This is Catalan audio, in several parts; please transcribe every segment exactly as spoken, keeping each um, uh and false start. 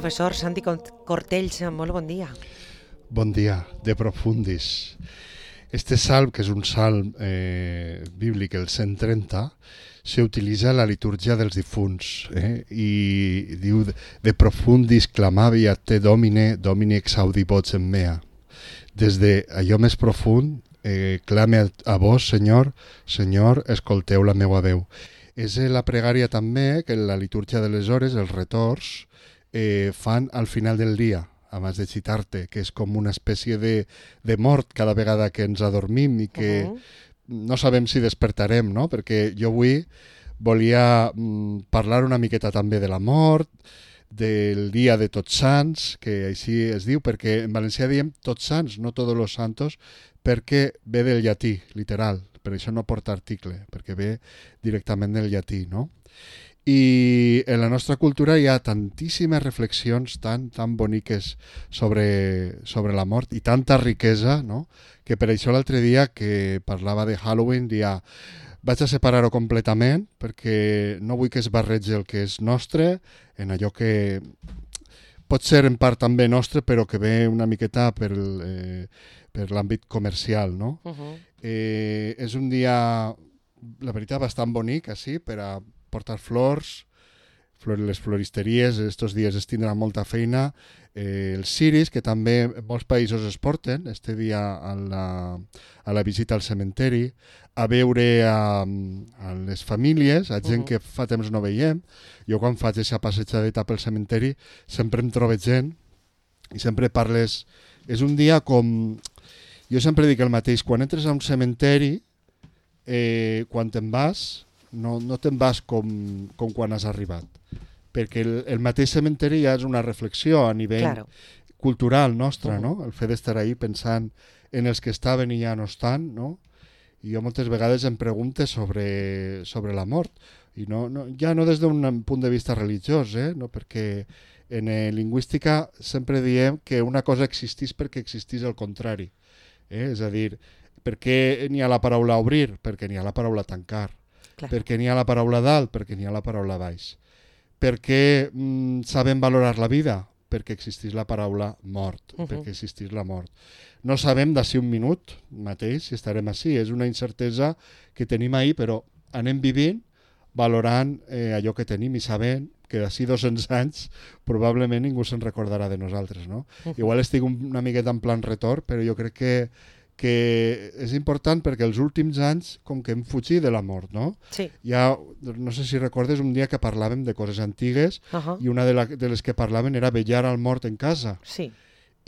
Professor Santi Cortells, molt bon dia. Bon dia, de profundis. Este salm, que és un salm eh, bíblic, el cent trenta, s'utilitza a la litúrgia dels difunts eh? I diu de profundis clamavi a te domine, domini exaudi voce mea. Des de allò més profund eh, clame a, a vos, Senyor, Senyor, escolteu la meua veu. És la pregària també que la litúrgia de les hores, els retors, eh, fan al final del dia, abans de citar-te, que és com una espècie de, de mort cada vegada que ens adormim i que uh-huh. no sabem si despertarem, no? Perquè jo avui volia mm, parlar una miqueta també de la mort, del dia de Tots Sants, que així es diu, perquè en valencià diem Tots Sants, no Todos los Santos, perquè ve del llatí, literal, per això no porta article, perquè ve directament del llatí, no? I en la nostra cultura hi ha tantíssimes reflexions tan, tan boniques sobre, sobre la mort i tanta riquesa, no? Que per això l'altre dia que parlava de Halloween dia vaig a separar-ho completament perquè no vull que es barregi el que és nostre en allò que pot ser en part també nostre però que ve una miqueta per, el, eh, per l'àmbit comercial, no? Uh-huh. Eh, és un dia, la veritat, bastant bonic, així, per a portar flors, flor, les floristeries, estos dies es tindrà molta feina, eh, els ciris, que també en molts països es porten, este dia a la, a la visita al cementeri, a veure a, a les famílies, a gent uh-huh. que fa temps no veiem. Jo quan faig aquesta passejadeta pel cementeri sempre em trobo gent i sempre parles... És un dia com... Jo sempre dic el mateix, quan entres a un cementeri, eh, quan te'n vas... no, no te'n vas com, com quan has arribat, perquè el, el mateix cementeri ja és una reflexió a nivell claro. cultural nostre, uh-huh. no? El fet d'estar ahí pensant en els que estaven i ja no estan, no? I jo moltes vegades em pregunte sobre, sobre la mort, i no, no, ja no des d'un punt de vista religiós, eh? No? Perquè en eh, lingüística sempre diem que una cosa existís perquè existís el contrari, eh? És a dir, per què n'hi ha la paraula obrir? Perquè n'hi ha la paraula tancar. Clar. Perquè n'hi ha la paraula dalt, perquè n'hi ha la paraula baix. Per què mm, sabem valorar la vida? Perquè existís la paraula mort, uh-huh. perquè existís la mort. No sabem d'ací un minut mateix si estarem així, és una incertesa que tenim ahir, però anem vivint valorant eh, allò que tenim i sabent que d'ací dos-cents anys probablement ningú se'n recordarà de nosaltres, no? Uh-huh. Igual estic una miqueta en plan retorn, però jo crec que que és important perquè els últims anys com que hem fugit de la mort, no? Sí. Ja, no sé si recordes un dia que parlàvem de coses antigues uh-huh. i una de, la, de les que parlaven era vetllar al mort en casa. Sí.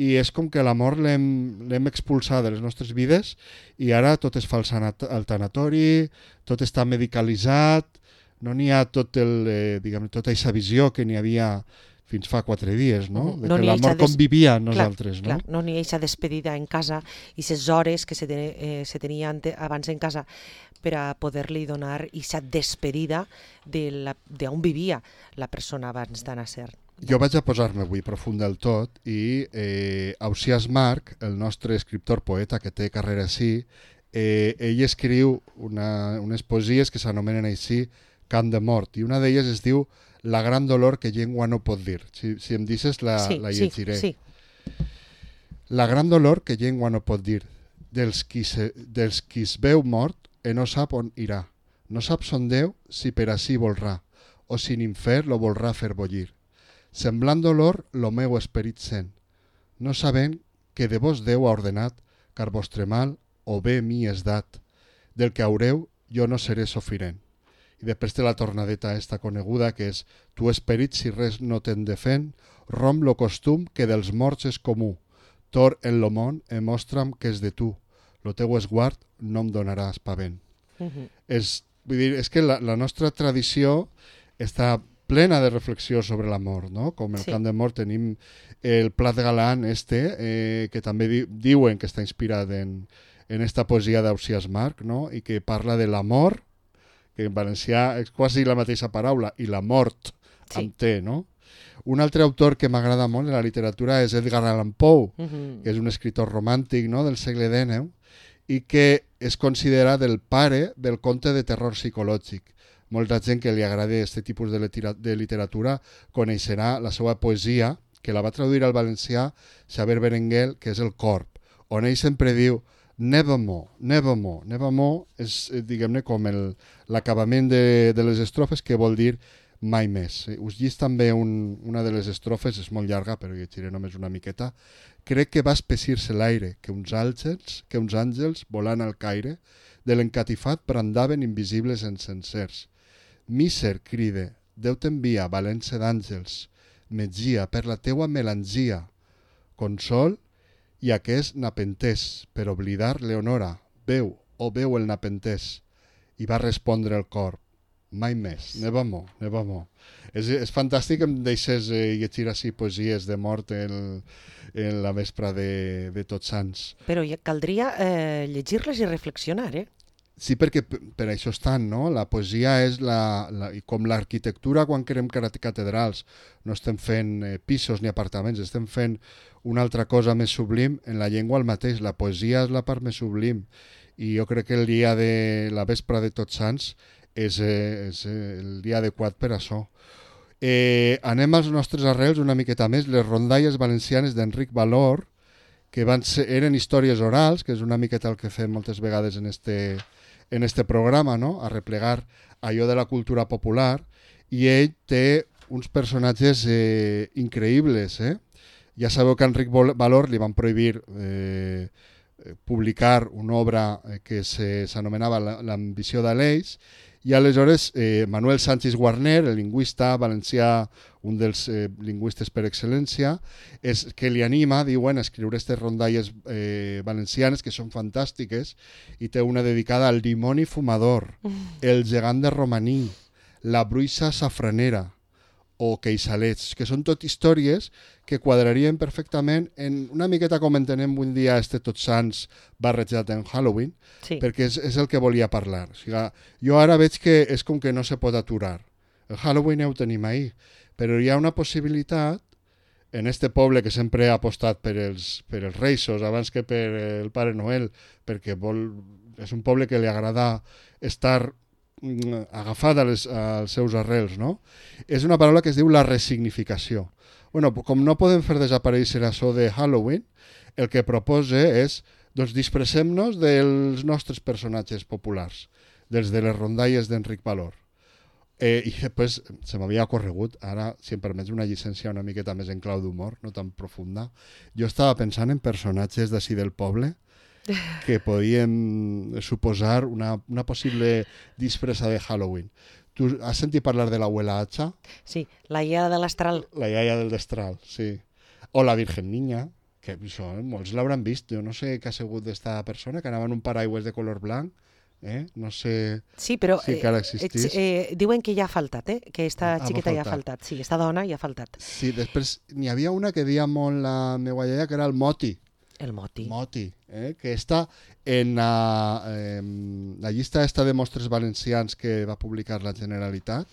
I és com que la mort l'hem, l'hem expulsat de les nostres vides i ara tot es fa al tanatori, tot està medicalitzat, no n'hi ha tot el, eh, diguem, tota aquesta visió que n'hi havia fins fa quatre dies, no? De no que la mort des... convivia amb nosaltres, clar, no? Clar, no n'hi ha aquesta despedida en casa i les hores que se, ten, eh, se tenien abans en casa per a poder-li donar aquesta despedida d'on vivia la persona abans d'anar a ser. Jo vaig a posar-me avui profund del tot i eh, Ausiàs March, el nostre escriptor poeta que té carrera així, eh, ell escriu una, unes poesies que s'anomenen així Cant de mort, i una d'elles es diu La gran dolor que llengua no pot dir. Si, si em dices la, sí, la llegiré. Sí, sí. La gran dolor que llengua no pot dir, dels qui, se, dels qui es veu mort e no sap on irà. No sap son Déu si per ací volrà, o si n'infer lo volrà fer bollir. Semblant dolor lo meu esperit sent, no sabent que de vos Déu ha ordenat, car vostre mal o bé mi és dat. Del que haureu jo no seré sofirent. I després té la tornadeta esta coneguda que és tu esperit si res no te'n defen, rom lo costum que dels morts és comú, tor en lo món e mostra'm que és de tu, lo teu esguard no em donarà espavent. Uh-huh. És, vull dir, és que la, la nostra tradició està plena de reflexió sobre la mort, no? Com el sí. Cant de mort tenim el Plat Galant este, eh, que també di, diuen que està inspirat en, en esta poesia d'Ausiàs March, no? I que parla de l'amor, que en valencià és quasi la mateixa paraula, i la mort sí. amb T, no? Un altre autor que m'agrada molt en la literatura és Edgar Allan Poe, uh-huh. que és un escritor romàntic, no?, del segle dinou, i que és considerat el pare del conte de terror psicològic. Molta gent que li agrada aquest tipus de, litera- de literatura coneixerà la seva poesia, que la va traduir al valencià Xavier Berenguer, que és el corp, on ell sempre diu nevermore, nevermore. Nevermore és, diguem-ne, com l'acabament de, de les estrofes, que vol dir mai més. Us llis també un, una de les estrofes, és molt llarga, però llegiré només una miqueta. Crec que va espessir-se l'aire, que uns àngels, que uns àngels volant al caire, de l'encatifat brandaven invisibles encensers. Míser, cride, Déu t'envia, valència d'àngels, metgia per la teua melangia, consol, i aquest napentès, per oblidar Leonora, veu, o veu el napentès, i va respondre el cor, mai més, nevermore, nevermore. És, és fantàstic que em deixes eh, llegir així poesies de mort en, en la vespre de, de Tots Sants. Però ja caldria eh, llegir-les i reflexionar, eh? Sí, perquè per això estan, no? La poesia és la, la, com l'arquitectura quan creem catedrals. No estem fent eh, pisos ni apartaments, estem fent una altra cosa més sublim. En la llengua el mateix, la poesia és la part més sublim. I jo crec que el dia de la vespre de Tots Sants és, eh, és el dia adequat per això. Eh, anem als nostres arrels una miqueta més. Les rondalles valencianes d'Enric Valor, que van ser, eren històries orals, que és una miqueta el que fem moltes vegades en este, en este programa, no? A replegar allò de la cultura popular, i ell té uns personatges eh, increïbles. Eh? Ja sabeu que a Enric Valor li van prohibir eh, publicar una obra que s'anomenava L'ambició d'Aleix, i aleshores eh, Manuel Sánchez Guarner, el lingüista valencià, un dels eh, lingüistes per excel·lència, és que li anima, diuen, a escriure aquestes rondalles eh, valencianes que són fantàstiques, i té una dedicada al dimoni fumador, el gegant de Romaní, la bruixa safranera o queixalets, que són tot històries que quadrarien perfectament en una miqueta com entenem avui dia este Tots Sants barrejat en Halloween, sí. Perquè és, és el que volia parlar. O sigui, jo ara veig que és com que no se pot aturar. El Halloween ja ho tenim ahí, però hi ha una possibilitat en este poble que sempre ha apostat per els, per els Reixos abans que per el Pare Noel, perquè vol, és un poble que li agrada estar agafada als, als seus arrels, no? És una paraula que es diu la resignificació. Bueno, com no podem fer desaparèixer això de Halloween, el que propose és, doncs, disfressem-nos dels nostres personatges populars, dels de les rondalles d'Enric Valor. Eh, I després se m'havia ocorregut, ara, si em permets una llicència una miqueta més en clau d'humor, no tan profunda, jo estava pensant en personatges d'ací del poble que podien suposar una, una possible disfressa de Halloween. Tu has sentit parlar de l'abuela Hacha? Sí, la iaia de l'Astral. La iaia del Destral, sí. O la Virgen Niña, que això, eh, molts l'hauran vist. Jo no sé què ha sigut d'esta persona, que anava en un paraigües de color blanc. Eh? No sé sí, però, si encara existís. Eh, eh, diuen que ja ha faltat, eh? Que esta ah, xiqueta ja ha faltat. Sí, esta dona ja ha faltat. Sí, després n'hi havia una que deia molt la meva iaia, que era el Moti. El Moti. Moti, eh? Que està en la, eh, la llista esta de mostres valencians que va publicar la Generalitat.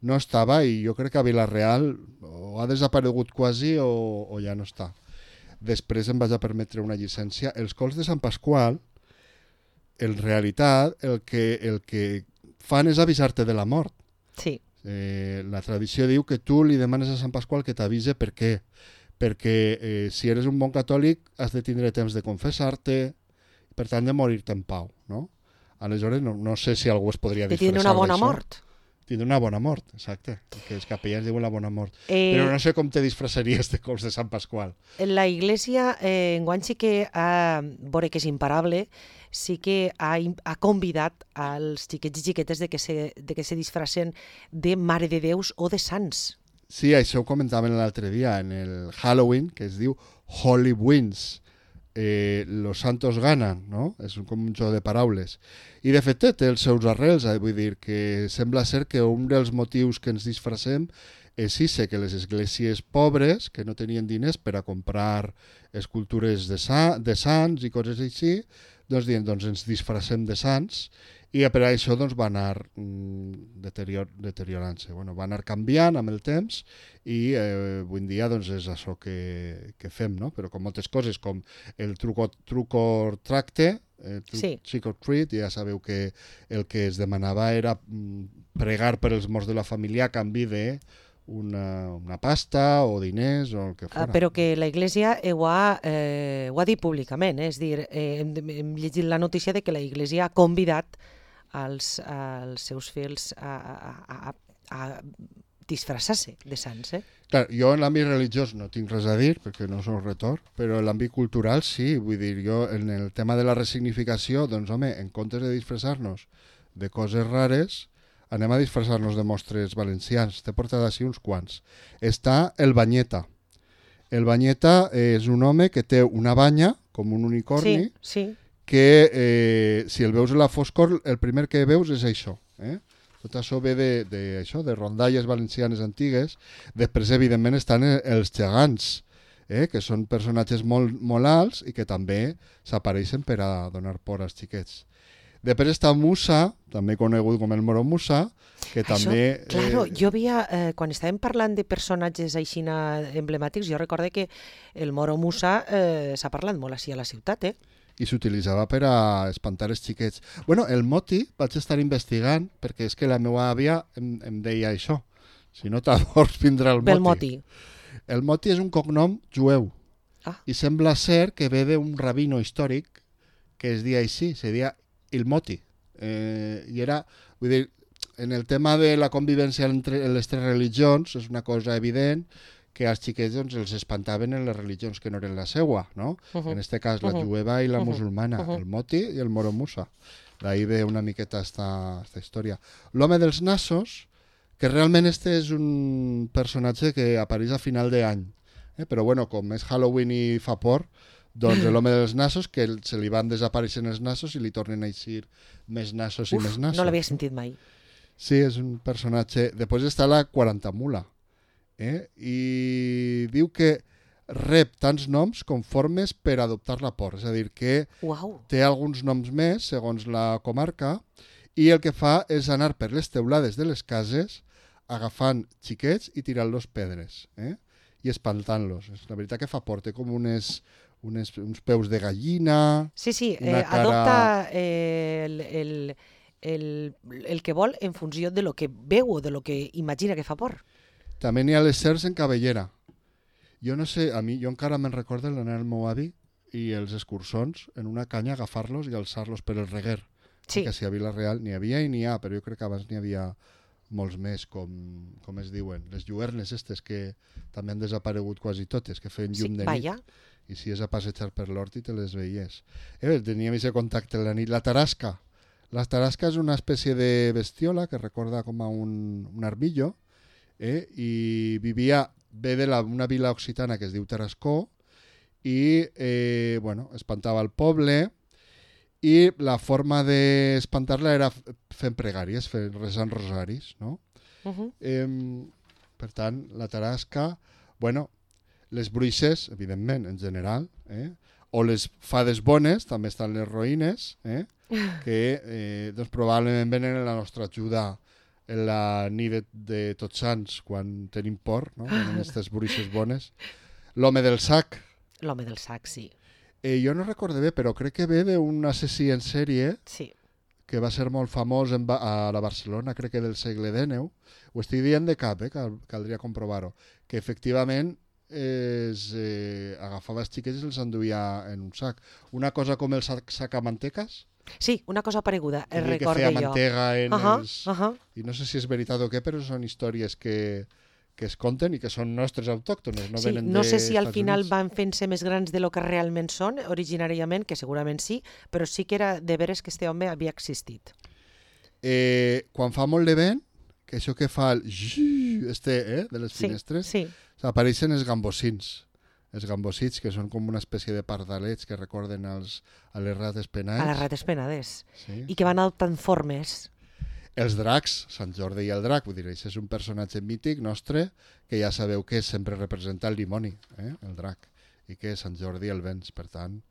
No estava, i jo crec que a Vila-real o ha desaparegut quasi o, o ja no està. Després em vaig a permetre una llicència. Els cols de Sant Pasqual, en realitat, el que, el que fan és avisar-te de la mort. Sí. Eh, la tradició diu que tu li demanes a Sant Pasqual que t'avise per què. Perquè eh, si eres un bon catòlic has de tindre temps de confessar-te, per tant de morir-te en pau, no? Aleshores no, no sé si algú es podria disfressar d'això. De tindre una bona mort. Tindre una bona mort, exacte. Que els capellans diuen la bona mort. Eh, Però no sé com te disfressaries de cols de Sant Pasqual. La Iglesia, eh, enguany sí que ha, veure que és imparable, sí que ha, ha convidat als xiquets i xiquetes de que se, de que se disfressen de Mare de Déus o de sants. Sí, això ho comentàvem l'altre dia, en el Halloween, que es diu Holy Wins. Eh, los santos ganan, no? És com un joc de paraules. I de fet té els seus arrels, eh? Vull dir que sembla ser que un dels motius que ens disfressem és ese, que les esglésies pobres, que no tenien diners per a comprar escultures de, sa de sants i coses així, doncs, dient, doncs ens disfressem de sants, i per això doncs, va anar mm, deterior, deteriorant-se. Bueno, va anar canviant amb el temps i eh, avui en dia doncs, és això que, que fem, no? Però com moltes coses, com el truco, truco tracte, eh, tru sí. Trick or treat, ja sabeu que el que es demanava era mm, pregar per els morts de la família a canvi de una, una pasta o diners o el que fora. Uh, però que la Iglesia eh, ho, ha, eh, ho ha dit públicament, eh? És dir, eh, hem, hem llegit la notícia de que la Iglesia ha convidat als, als seus fils a, a, a, a disfressar-se de sants. Eh? Clar, jo en l'àmbit religiós no tinc res a dir, perquè no soc retor, però en l'àmbit cultural sí, vull dir, jo en el tema de la resignificació, doncs home, en comptes de disfressar-nos de coses rares, anem a disfressar-nos de mostres valencians. T'he portat així uns quants. Està el Banyeta. El Banyeta és un home que té una banya, com un unicorni, sí, sí. que eh, si el veus a la foscor, el primer que veus és això. Eh? Tot això ve de, de, això, de rondalles valencianes antigues. Després, evidentment, estan els gegants, eh? que són personatges molt, molt alts i que també s'apareixen per a donar por als xiquets. Després està Musa, també conegut com el Moro Musa, que Això, també... Claro, eh... jo havia, eh, quan estàvem parlant de personatges aixina emblemàtics, jo recorde que el Moro Musa eh, s'ha parlat molt així a la ciutat, eh? I s'utilitzava per a espantar els xiquets. Bueno, el moti vaig estar investigant, perquè és que la meva àvia em, em deia això. Si no t'adors, vindrà el moti. Pel moti. El moti és un cognom jueu. Ah. I sembla ser que ve d'un rabino històric que es dia així, se dia el moti. Eh, I era, vull dir, en el tema de la convivència entre les tres religions és una cosa evident que als xiquets doncs, els espantaven en les religions que no eren la seua, no? Uh -huh. En este cas la uh -huh. jueva i la uh -huh. musulmana, uh -huh. el moti i el Moro Musa. D'ahí ve una miqueta esta, esta història. L'home dels nassos, que realment este és un personatge que apareix a final d'any, eh? Però bueno, com és Halloween i fa por, doncs l'home dels nassos, que se li van desapareixent els nassos i li tornen a eixir més nassos Uf, i més nassos. No l'havia sentit mai. Sí, és un personatge... Després està la quarantamula, eh? I diu que rep tants noms com formes per adoptar la por. És a dir, que Uau. té alguns noms més, segons la comarca, i el que fa és anar per les teulades de les cases agafant xiquets i tirant-los pedres, eh? I espantant-los. La veritat que fa por, té com unes... Unes, uns peus de gallina... Sí, sí, eh, cara... adopta eh, el, el, el, el que vol en funció de lo que veu o de lo que imagina que fa por. També n'hi ha les serps en cabellera. Jo no sé, a mi, jo encara me'n recordo l'anar al meu avi i els escurçons en una canya agafar-los i alçar-los per el reguer. Sí. Que si a Vila-real n'hi havia i n'hi ha, però jo crec que abans n'hi havia molts més, com, com es diuen. Les lluernes estes que també han desaparegut quasi totes, que feien llum sí, de vaya. nit. I si és a passejar per l'hort i te les veies. Eh, teníem aquest contacte en la nit. La tarasca. La tarasca és una espècie de bestiola que recorda com a un, un armillo, eh, i vivia, ve de la, una vila occitana que es diu Tarascó, i eh, bueno, espantava el poble, i la forma d'espantar-la era fent pregàries, fent, resant rosaris, no? Uh -huh. eh, per tant, la tarasca, bueno, les bruixes, evidentment, en general, eh? O les fades bones, també estan les roïnes, eh? que eh, doncs probablement venen a la nostra ajuda en la nit de, de Tots Sants, quan tenim por, no? Venen aquestes bruixes bones. L'home del sac. L'home del sac, sí. Eh, jo no recordo bé, però crec que ve d'un assassí en sèrie sí. que va ser molt famós en, a la Barcelona, crec que del segle dènou. Ho estic dient de cap, eh? Cal, caldria comprovar-ho. Que efectivament es, eh, agafava els xiquets i els enduia en un sac. Una cosa com el sac, sac a manteques. Sí, una cosa pareguda, el que recordo feia jo. mantega en uh -huh, els... uh -huh. I no sé si és veritat o què, però són històries que, que es conten i que són nostres autòctones, no sí, venen no de sé si al Estats final Units. van fent-se més grans de lo que realment són, originàriament, que segurament sí, però sí que era de veres que este home havia existit. Eh, quan fa molt de vent, que això que fa el zzz, este, eh, de les sí, finestres, sí. apareixen els gambosins. Els gambosits, que són com una espècie de pardalets que recorden als, a les rates penades. A les rates penades. Sí. I que van adoptant formes. Els dracs, Sant Jordi i el drac, vull dir, això és un personatge mític nostre que ja sabeu que sempre representa el dimoni, eh, el drac, i que Sant Jordi el vens, per tant,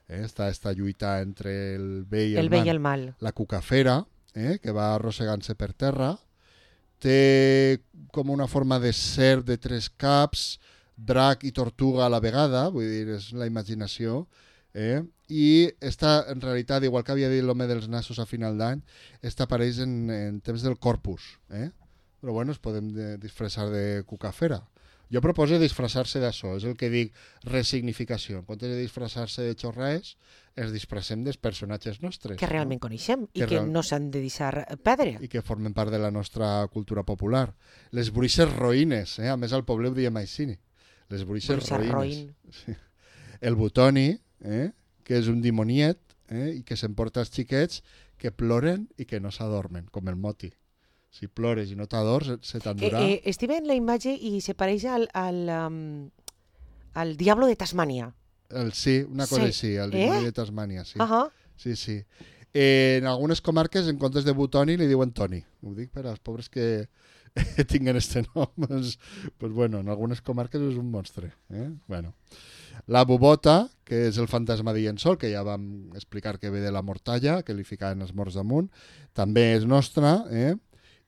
eh, està esta lluita entre el bé i el, el, bé mal. I el mal. La cucafera, eh, que va arrossegant-se per terra, té com una forma de ser de tres caps, drac i tortuga a la vegada, vull dir, és la imaginació, eh? I esta, en realitat, igual que havia dit l'home dels nassos a final d'any, esta apareix en, en temps del Corpus, eh? però bueno, es podem de, disfressar de cucafera. Jo proposo disfressar-se d'això, és el que dic resignificació. En comptes de disfressar-se de xorraes, ens disfressem dels personatges nostres. Que realment no? coneixem i que, que real... no s'han de deixar perdre. I que formen part de la nostra cultura popular. Les bruixes roïnes, eh? A més al poble ho diem així. Les bruixes roïnes. Roïn. Sí. El butoni, eh? Que és un dimoniet, eh? I que s'emporta els xiquets que ploren i que no s'adormen, com el moti. Si plores i no t'adors, se t'endurà. Eh, eh, estic veient la imatge i se pareix al, al, um, al Diablo de Tasmània. El, sí, una cosa sí. així, el eh? dimoni de Tasmània, sí. Uh -huh. Sí, sí. Eh, en algunes comarques, en comptes de butoni, li diuen Toni. Ho dic per als pobres que tinguen este nom. Pues, pues bueno, en algunes comarques és un monstre. Eh? Bueno. La bubota, que és el fantasma de llençol, que ja vam explicar que ve de la mortalla, que li ficaven els morts damunt, també és nostra, eh?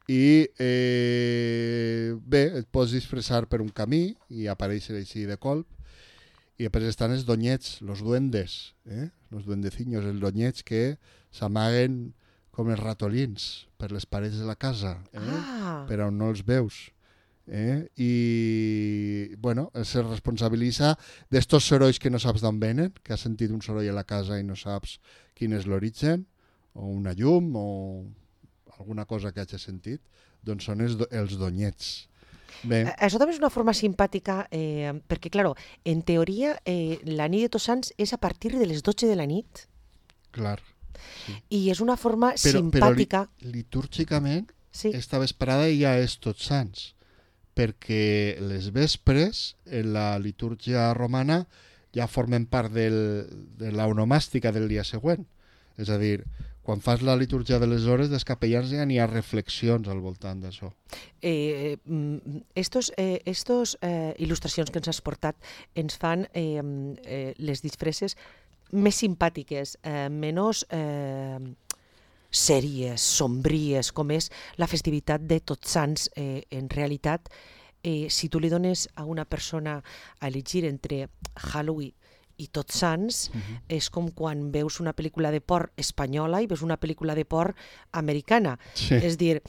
I eh, bé, et pots disfressar per un camí i aparèixer així de colp, i després estan els donyets, los duendes, eh? Los duendeciños, els donyets que s'amaguen com els ratolins per les parets de la casa, eh? Ah. Per on no els veus. Eh? I bueno, se responsabilitza d'estos sorolls que no saps d'on venen, que has sentit un soroll a la casa i no saps quin és l'origen, o una llum o alguna cosa que hagi sentit, doncs són els, do els donyets. Bé. Això també és una forma simpàtica, eh, perquè, clar, en teoria, eh, la nit de Tots Sants és a partir de les dotze de la nit. Clar. Sí. I és una forma però, simpàtica. Però litúrgicament, sí. esta vesprada ja és Tots Sants, perquè les vespres, en la litúrgia romana, ja formen part del, de l'onomàstica del dia següent. És a dir, quan fas la litúrgia de les hores, dels capellans ja n'hi ha reflexions al voltant d'això. Eh, estos, eh, estos eh, il·lustracions que ens has portat ens fan eh, eh, les disfresses més simpàtiques, eh, menys eh, sèries, sombries, com és la festivitat de Tots Sants. Eh, en realitat, eh, si tu li dones a una persona a elegir entre Halloween i Tots Sants, uh-huh. és com quan veus una pel·lícula de por espanyola i veus una pel·lícula de por americana. Sí. És dir,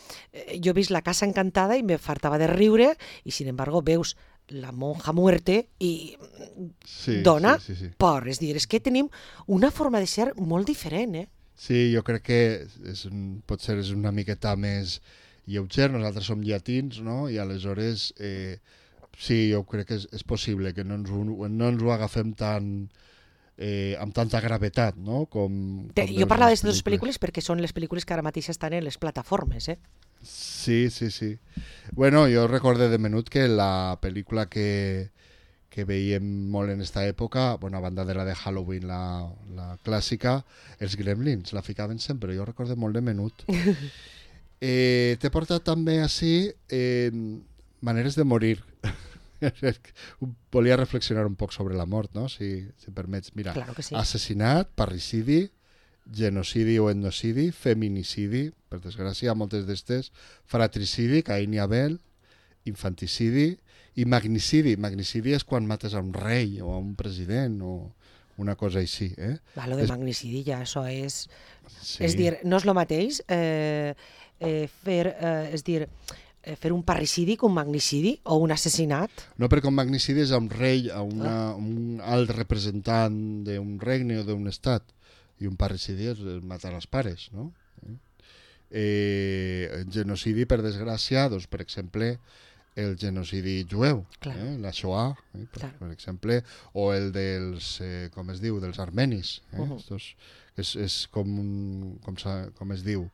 jo he vist La Casa Encantada i me fartava de riure, i sin embargo veus La Monja Muerte i sí, dona sí, sí, sí. por. És dir, és que tenim una forma de ser molt diferent, eh? Sí, jo crec que és un, potser és una miqueta més lleuger, nosaltres som llatins, no? I aleshores... Eh, sí, jo crec que és, és possible que no ens ho, no ens ho agafem tan, eh, amb tanta gravetat, no? Com, com jo parlava d'aquestes dues pel·lícules perquè són les pel·lícules que ara mateix estan en les plataformes, eh? Sí, sí, sí. Bueno, jo recorde de menut que la pel·lícula que, que veiem molt en esta època, bueno, a banda de la de Halloween, la, la clàssica, els Gremlins, la ficaven sempre, jo recorde molt de menut. eh, T'he portat també així eh, maneres de morir. Volia reflexionar un poc sobre la mort, no? Si, si permets. Mira, claro que sí. Assassinat, parricidi, genocidi o etnocidi, feminicidi, per desgràcia, moltes d'estes, fratricidi, Caín i Abel, infanticidi i magnicidi. Magnicidi és quan mates a un rei o a un president o una cosa així. Eh? Va, lo de és... magnicidi ja, això és... Sí. És dir, no és el mateix eh, eh, fer, eh, és dir, fer un parricidi que un magnicidi o un assassinat? No, perquè un magnicidi és a un rei, a una, ah. un alt representant d'un regne o d'un estat, i un parricidi és matar els pares, no? Eh, el genocidi, per desgràcia, doncs, per exemple, el genocidi jueu, eh? La Shoah, eh? per, per exemple, o el dels, eh, com es diu, dels armenis. Eh? Uh -huh. Estos, és, és com, un, com, com es diu,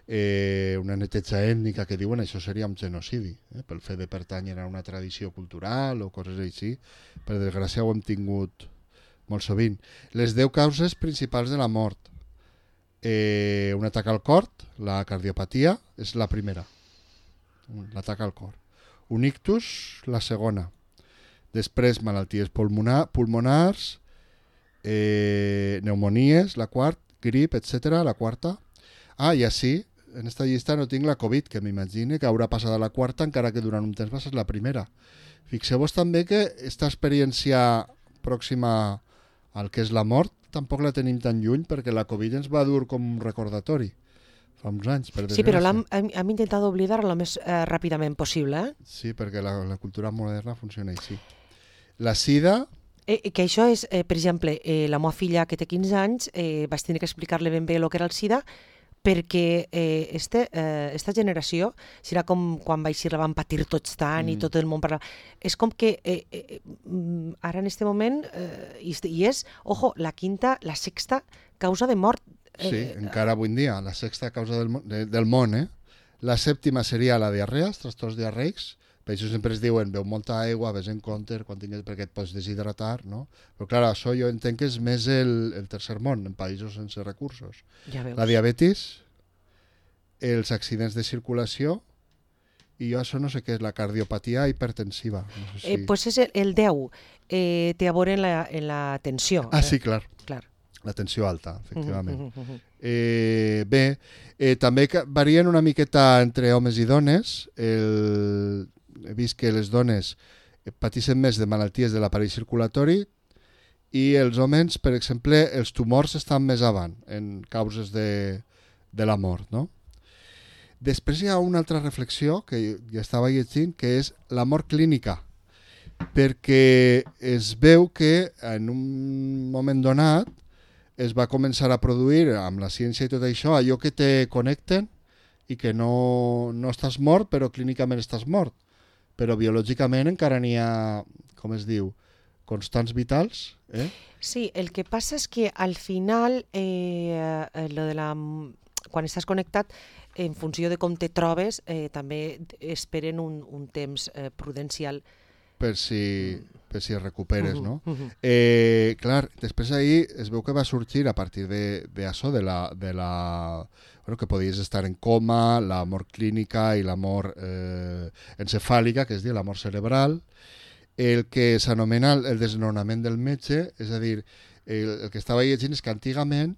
eh, una neteja ètnica que diuen això seria un genocidi, eh? Pel fet de pertànyer a una tradició cultural o coses així. Per desgràcia ho hem tingut molt sovint. Les deu causes principals de la mort. Eh, un atac al cor, la cardiopatia, és la primera. L'atac al cor. Un ictus, la segona. Després, malalties pulmonar, pulmonars, eh, pneumonies, la quarta, grip, etcètera, la quarta. Ah, i així, en esta llista no tinc la Covid, que m'imagine que haurà passat a la quarta, encara que durant un temps va ser la primera. Fixeu-vos també que aquesta experiència pròxima al que és la mort tampoc la tenim tan lluny, perquè la Covid ens va dur com un recordatori. fa uns anys, per desgràcia. Sí, però l'hem hem, hem intentat oblidar el més eh, ràpidament possible. Eh? Sí, perquè la, la cultura moderna funciona així. La sida... Eh, que això és, eh, per exemple, eh, la meva filla que té quinze anys, eh, vaig tenir que explicar-li ben bé el que era el sida, perquè eh, este, eh, esta generació, serà com quan va eixir la van patir tots tant mm. i tot el món parlava. És com que eh, eh, ara en este moment, eh, i, i és, ojo, la quinta, la sexta causa de mort. Eh, sí, encara avui en dia, la sexta causa del, de, del món, eh? La sèptima seria la diarrea, els trastorns diarreics. Per això sempre es diuen, beu molta aigua, ves en compte quan tinguis, perquè et pots deshidratar, no? Però clar, això jo entenc que és més el, el tercer món, en països sense recursos. Ja veus. La diabetis, els accidents de circulació, i jo això no sé què és, la cardiopatia hipertensiva. No sé si... eh, pues és el, el deu, eh, té a veure en la, en la tensió. Ah, sí, clar. clar. La tensió alta, efectivament. Uh -huh, uh -huh. eh, bé, eh, també varien una miqueta entre homes i dones. El... He vist que les dones pateixen més de malalties de l'aparell circulatori i els homes, per exemple, els tumors estan més avant en causes de, de la mort, no? Després hi ha una altra reflexió que ja estava llegint, que és la mort clínica, perquè es veu que en un moment donat es va començar a produir, amb la ciència i tot això, allò que te connecten i que no, no estàs mort, però clínicament estàs mort. Però biològicament encara n'hi ha, com es diu, constants vitals. Eh? Sí, el que passa és que al final, eh, lo de la, quan estàs connectat, en funció de com te trobes, eh, també esperen un, un temps eh, prudencial. Per si, per si es recuperes, no? Eh, clar, després ahir es veu que va sorgir a partir de, de això, de la... De la bueno, que podies estar en coma, la mort clínica i la mort eh, encefàlica, que es diu la mort cerebral, el que s'anomena el desnonament del metge, és a dir, el, el que estava llegint és que antigament,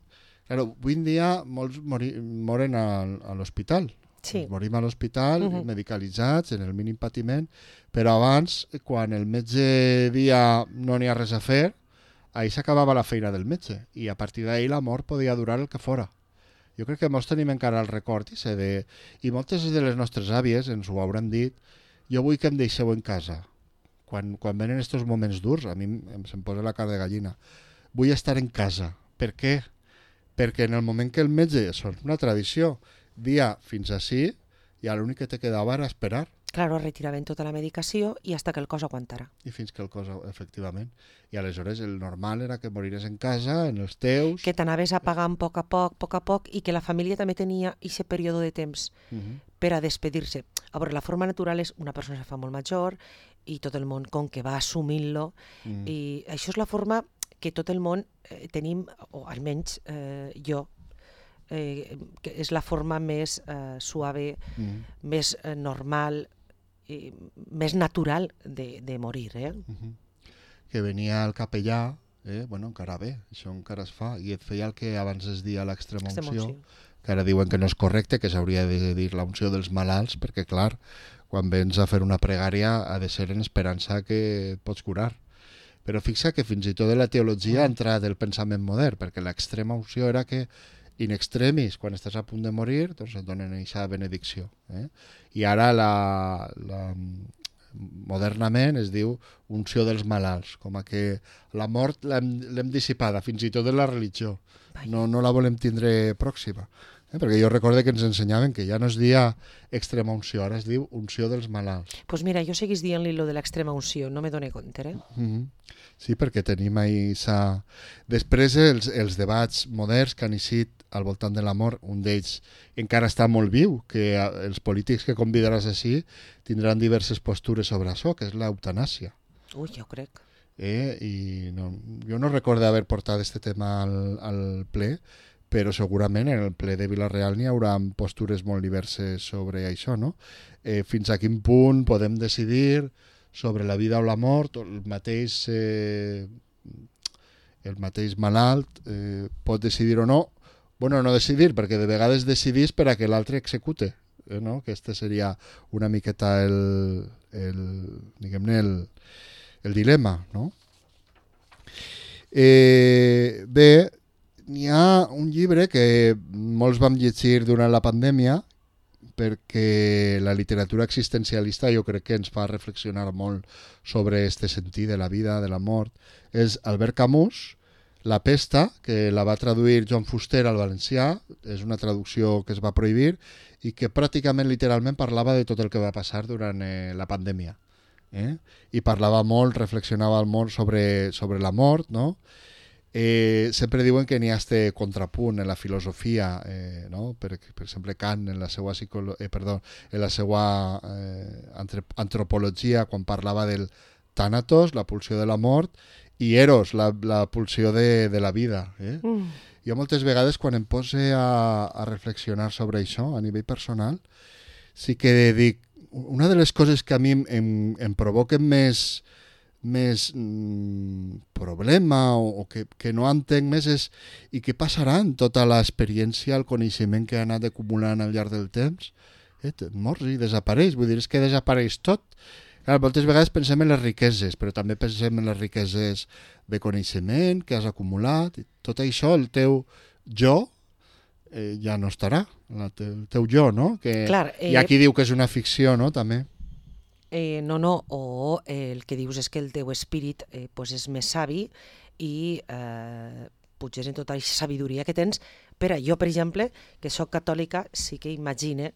claro, avui en dia molts mori, moren a, a l'hospital, sí. morim a l'hospital, uh -huh. medicalitzats, en el mínim patiment, però abans, quan el metge dia no n'hi ha res a fer, ahir s'acabava la feina del metge, i a partir d'ahir la mort podia durar el que fora. Jo crec que molts tenim encara el record i, de... i moltes de les nostres àvies ens ho hauran dit, jo vull que em deixeu en casa. Quan, quan venen aquests moments durs, a mi em se'm posa la cara de gallina. Vull estar en casa. Per què? Perquè en el moment que el metge, això és una tradició, dia fins ací, ja l'únic que te quedava era esperar. Claro, retiraven tota la medicació i hasta que el cos aguantara. I fins que el cos, efectivament. I aleshores el normal era que morires en casa, en els teus... Que t'anaves apagant a poc a poc, a poc a poc, i que la família també tenia aquest període de temps uh -huh. per a despedir-se. A veure, la forma natural és una persona que fa molt major i tot el món com que va assumint-lo, uh -huh. i això és la forma que tot el món eh, tenim, o almenys eh, jo, eh, que és la forma més eh, suave, uh -huh. més eh, normal, i més natural de, de morir, eh? Uh-huh. Que venia el capellà, eh? Bueno, encara bé, això encara es fa, i et feia el que abans es dia l'extrema unció, que ara diuen que no és correcte, que s'hauria de dir la unció dels malalts, perquè clar, quan vens a fer una pregària ha de ser en esperança que et pots curar. Però fixa que fins i tot en la teologia ha entrat el pensament modern, perquè l'extrema unció era que in extremis, quan estàs a punt de morir, doncs et donen aquesta benedicció. Eh? I ara la, la, modernament es diu unció dels malalts, com a que la mort l'hem dissipada, fins i tot en la religió. No, no la volem tindre pròxima. Eh? Perquè jo recordo que ens ensenyaven que ja no es dia extrema unció, ara es diu unció dels malalts. Doncs pues mira, jo seguís dient-li lo de l'extrema unció, no me done compte, eh? Mm-hmm. Sí, perquè tenim ahí sa... Després els, els debats moderns que han eixit al voltant de la mort, un d'ells encara està molt viu, que els polítics que convidaràs així tindran diverses postures sobre això, que és l'eutanàsia. Ui, jo crec. Eh? I no, jo no recordo haver portat aquest tema al, al ple, però segurament en el ple de Vila-real n'hi haurà postures molt diverses sobre això, no? Eh, fins a quin punt podem decidir sobre la vida o la mort, el mateix, eh, el mateix malalt eh, pot decidir o no. Bueno, no decidir, perquè de vegades decidís per a que l'altre execute, eh, no? Que este seria una miqueta el, el, diguem-ne, el, el dilema, no? Eh, bé, n'hi ha un llibre que molts vam llegir durant la pandèmia, perquè la literatura existencialista jo crec que ens fa reflexionar molt sobre este sentit de la vida, de la mort. És Albert Camus, La pesta, que la va traduir Joan Fuster al valencià, és una traducció que es va prohibir i que pràcticament literalment parlava de tot el que va passar durant eh, la pandèmia. Eh? I parlava molt, reflexionava molt sobre, sobre la mort, no? Eh, sempre diuen que n'hi ha este contrapunt en la filosofia, eh, no? per, per exemple Kant en la seva, psicolo... eh, perdó, en la seva eh, antropologia, quan parlava del tànatos, la pulsió de la mort, i Eros, la, la pulsió de, de la vida. Eh? Mm. Jo moltes vegades quan em pose a, a reflexionar sobre això a nivell personal, sí que dic, una de les coses que a mi em, em, em provoquen més més mm, problema o, o que, que no entenc més és i què passarà en tota l'experiència, el coneixement que ha anat acumulant al llarg del temps. Eh, mors i desapareix, vull dir, és que desapareix tot. Clar, moltes vegades pensem en les riqueses, però també pensem en les riqueses de coneixement que has acumulat. Tot això, el teu jo, eh, ja no estarà, el teu jo, no? Que Clar, eh... hi ha qui diu que és una ficció, no?, també. Eh, no, no, o eh, el que dius és que el teu espírit eh, pues és més savi i eh, potser en tota aquesta sabidoria que tens. Però jo, per exemple, que sóc catòlica, sí que imagine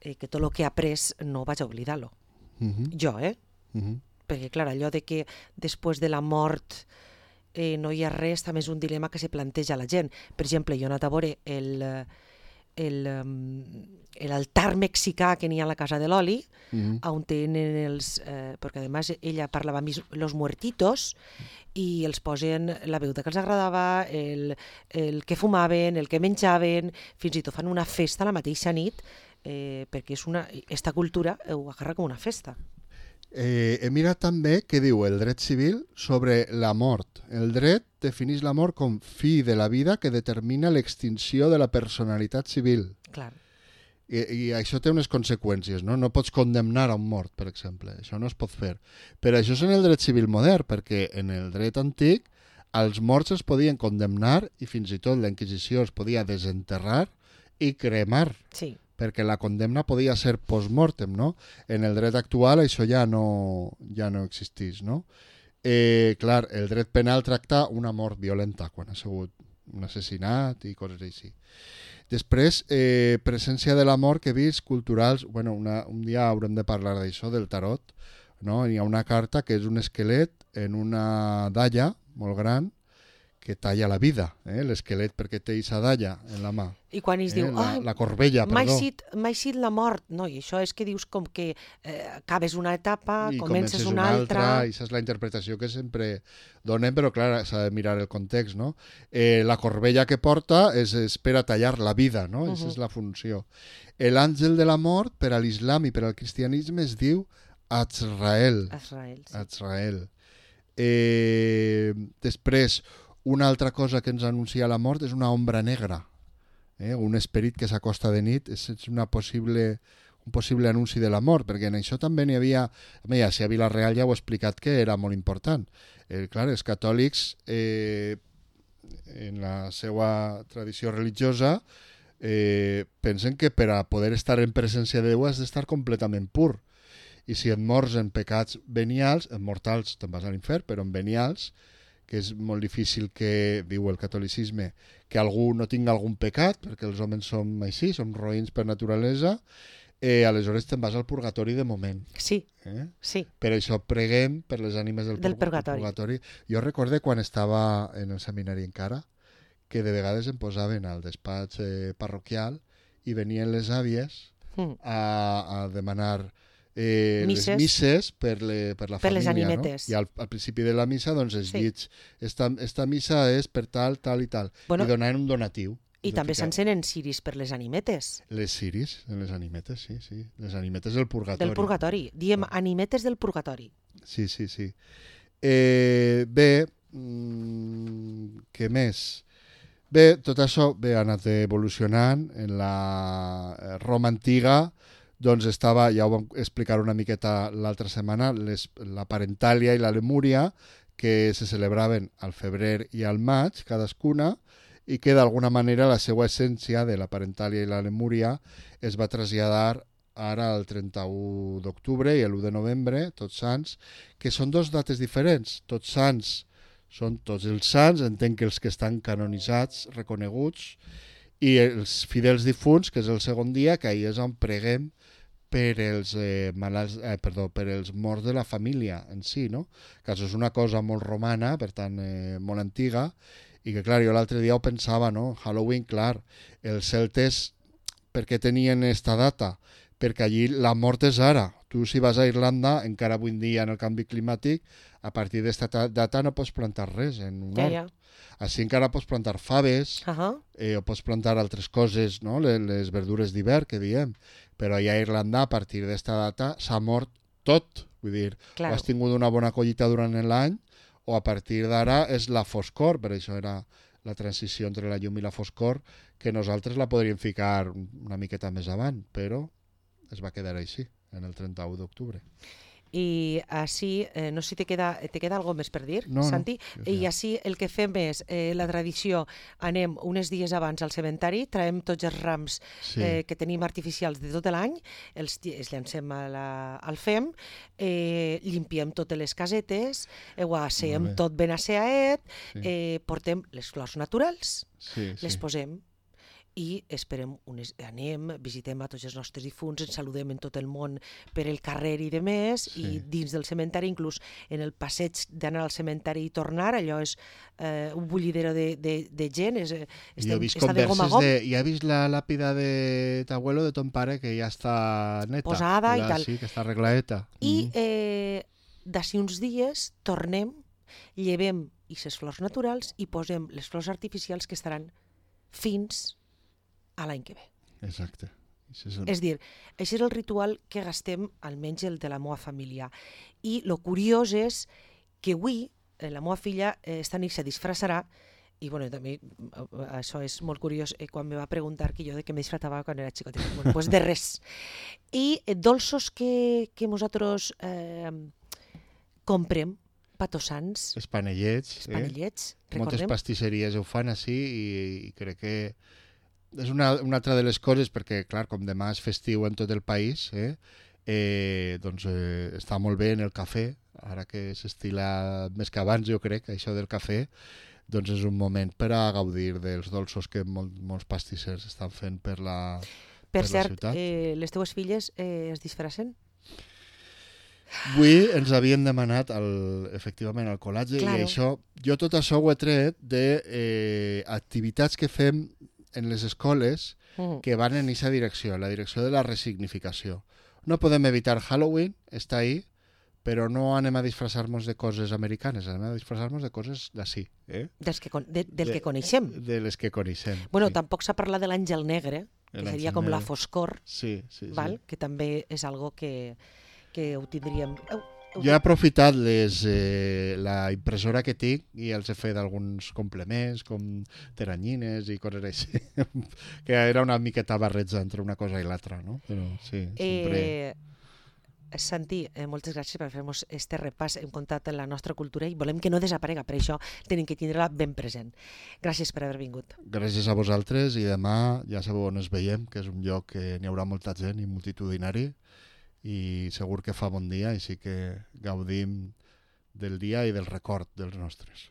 eh, que tot el que he après no vaig a oblidar-lo. Uh-huh. Jo, eh? Uh-huh. Perquè, clar, allò de que després de la mort eh, no hi ha res, també és un dilema que se planteja la gent. Per exemple, jo he anat a veure el... el l'altar mexicà que n'hi ha a la Casa de l'Oli, mm-hmm. on tenen els... Eh, perquè, a més, ella parlava amb los muertitos i els posen la beguda que els agradava, el, el que fumaven, el que menjaven, fins i tot fan una festa la mateixa nit, eh, perquè és una, esta cultura ho agarra com una festa. Eh, he mirat també què diu el dret civil sobre la mort. El dret defineix la mort com fi de la vida que determina l'extinció de la personalitat civil. Clar. I, I això té unes conseqüències, no? No pots condemnar a un mort, per exemple. Això no es pot fer. Però això és en el dret civil modern, perquè en el dret antic els morts es podien condemnar i fins i tot la Inquisició es podia desenterrar i cremar. Sí. Perquè la condemna podia ser post-mortem, no? En el dret actual això ja no, ja no existeix, no? Eh, clar, el dret penal tracta una mort violenta, quan ha sigut un assassinat i coses així. Després, eh, presència de la mort que he vist, culturals, bueno, una, un dia haurem de parlar d'això, del tarot, no? Hi ha una carta que és un esquelet en una dalla molt gran, que talla la vida, eh? L'esquelet perquè té aquesta dalla en la mà. I quan es eh? diu, la, la corbella, perdó. M'ha eixit la mort, no, i això és que dius com que eh, acabes una etapa, I comences una, una altra. altra. I aquesta és la interpretació que sempre donem, però clar, s'ha de mirar el context, no? Eh, la corbella que porta és, és per a tallar la vida, no? Aquesta uh-huh. és la funció. L'àngel de la mort, per a l'islam i per al cristianisme, es diu Azrael. Azrael, sí. Azrael. Eh, després, una altra cosa que ens anuncia la mort és una ombra negra, eh? Un esperit que s'acosta de nit, és una possible, un possible anunci de la mort, perquè en això també n'hi havia... Ja, si a Vila-real ja ho he explicat que era molt important. Eh, clar, els catòlics, eh, en la seva tradició religiosa, eh, pensen que per a poder estar en presència de Déu has d'estar completament pur. I si et mors en pecats venials, en mortals te'n vas a l'infern, però en venials, que és molt difícil que, diu el catolicisme, que algú no tinga algun pecat, perquè els homes som així, som roïns per naturalesa, eh, aleshores te'n vas al purgatori de moment. Sí, eh? sí. Per això preguem per les ànimes del, del purgatori. purgatori. Jo recorde quan estava en el seminari encara, que de vegades em posaven al despatx eh, parroquial i venien les àvies mm. a, a demanar... Eh, misses. les misses per, le, per la per família, les animetes. No? I al, al principi de la missa doncs es sí. llits, esta, esta missa és per tal, tal i tal, bueno, i donaven un donatiu. I també s'encenen ciris per les animetes. Les ciris, les animetes, sí, sí. Les animetes del purgatori. Del purgatori. Diem animetes del purgatori. Sí, sí, sí. Eh, bé, mmm, què més? Bé, tot això bé, ha anat evolucionant. En la Roma antiga doncs estava, ja ho vam explicar una miqueta l'altra setmana, les, la Parentàlia i la Lemúria, que se celebraven al febrer i al maig, cadascuna, i que d'alguna manera la seva essència de la parentàlia i la lemúria es va traslladar ara el trenta-u d'octubre i l'u de novembre, Tots Sants, que són dos dates diferents. Tots Sants són tots els sants, entenc que els que estan canonitzats, reconeguts, i els fidels difunts, que és el segon dia, que ahir és on preguem per els, eh, malalts, eh, perdó, per els morts de la família en si, no? Que això és una cosa molt romana, per tant, eh, molt antiga, i que, clar, jo l'altre dia ho pensava, no? Halloween, clar, els celtes, per què tenien esta data? Perquè allí la mort és ara. Tu, si vas a Irlanda, encara avui en dia en el canvi climàtic, a partir d'esta data no pots plantar res en un Ja, hort. ja. Així encara pots plantar faves, Ahà. eh, o pots plantar altres coses, no? les, les verdures d'hivern, que diem. Però allà a Irlanda, a partir d'esta data, s'ha mort tot. Vull dir, Claro. o has tingut una bona collita durant l'any, o a partir d'ara és la foscor, per això era la transició entre la llum i la foscor, que nosaltres la podríem ficar una miqueta més avant, però es va quedar així, en el trenta-u d'octubre. I així, eh, no sé si te queda, te queda alguna més per dir, No, no, Santi? jo I ja. així el que fem és, eh, la tradició, anem uns dies abans al cementari, traiem tots els rams Sí. eh, que tenim artificials de tot l'any, els, ll- els llancem a la, al fem, eh, limpiem totes les casetes, eh, ho asseem Molt bé. tot ben asseaet, Sí. eh, portem les flors naturals, Sí, les sí. posem i esperem, unes, anem, visitem a tots els nostres difunts, ens saludem en tot el món per el carrer i de més, Sí. i dins del cementari, inclús en el passeig d'anar al cementari i tornar, allò és eh, un bullidero de, de, de gent, és, eh, Jo estem, he vist està de gom a converses gom, de... Ja he vist la làpida de t'abuelo, de ton pare, que ja està neta. Posada i Ja, tal. Sí, que està arregladeta. i Mhm. eh, d'ací uns dies tornem, llevem aquestes flors naturals i posem les flors artificials que estaran fins a l'any que ve. Exacte. Això és un... És dir, això és el ritual que gastem, almenys el de la meva família. I el curiós és que avui eh, la meva filla eh, esta nit se disfressarà, i bueno, també eh, això és molt curiós, eh, quan me va preguntar que jo de què me disfratava quan era xicoteta. Bueno, pues de res. I eh, dolços que, que nosaltres eh, comprem, patossants, Els panellets. els panellets, Eh? Moltes recordem? pastisseries ho fan així i, i crec que és una, una altra de les coses, perquè, clar, com demà és festiu en tot el país, eh, eh, doncs eh, està molt bé en el cafè, ara que s'estila més que abans, jo crec, això del cafè, doncs és un moment per a gaudir dels dolços que molt, molts pastissers estan fent per la, Per per la cert, ciutat. eh, les teues filles eh, es disfressen? Avui ens havien demanat el, efectivament el col·latge Claro. i això, jo tot això ho he tret de eh, activitats que fem en les escoles Mm. que van en aquesta direcció, la direcció de la resignificació. No podem evitar Halloween, està ahí, però no anem a disfressar-nos de coses americanes, anem a disfressar-nos de coses d'ací, eh? Dels que, con- de, del De- que coneixem. De les que coneixem. Bueno, sí. tampoc s'ha parlat de l'àngel negre, que L'àngel seria com la negre. foscor, Sí, sí, sí. val? Que també és algo que, que ho tindríem... Au, au, Jo he aprofitat les, eh, la impressora que tinc i els he fet alguns complements, com teranyines i coses així, que era una miqueta barreja entre una cosa i l'altra, no? Però sí, sempre... Eh, Santi, eh, moltes gràcies per fer-nos este repàs. Hem comptat en la nostra cultura i volem que no desaparega, per això tenim que tindre-la ben present. Gràcies per haver vingut. Gràcies a vosaltres i demà ja sabeu on ens veiem, que és un lloc que n'hi haurà molta gent i multitudinari i segur que fa bon dia, així que gaudim del dia i del record dels nostres.